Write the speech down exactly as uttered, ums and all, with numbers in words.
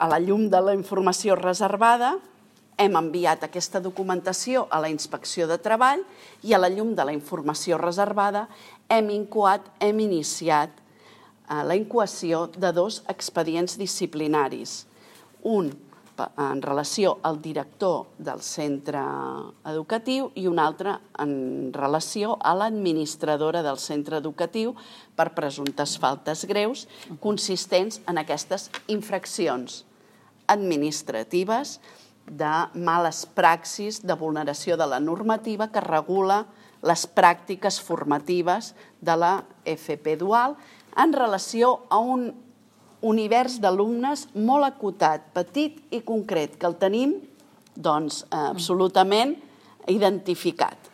A la llum de la informació reservada, hem enviat aquesta documentació a la Inspecció de Treball i a la llum de la informació reservada hem incoat, hem iniciat la incoació de dos expedients disciplinaris. Un en relació al director del centre educatiu i un altre en relació a l'administradora del centre educatiu per presumptes faltes greus consistents en aquestes infraccions administratives de males praxis, de vulneració de la normativa que regula les pràctiques formatives de la F P dual en relació a un univers d'alumnes molt acotat, petit i concret, que el tenim doncs absolutament identificat.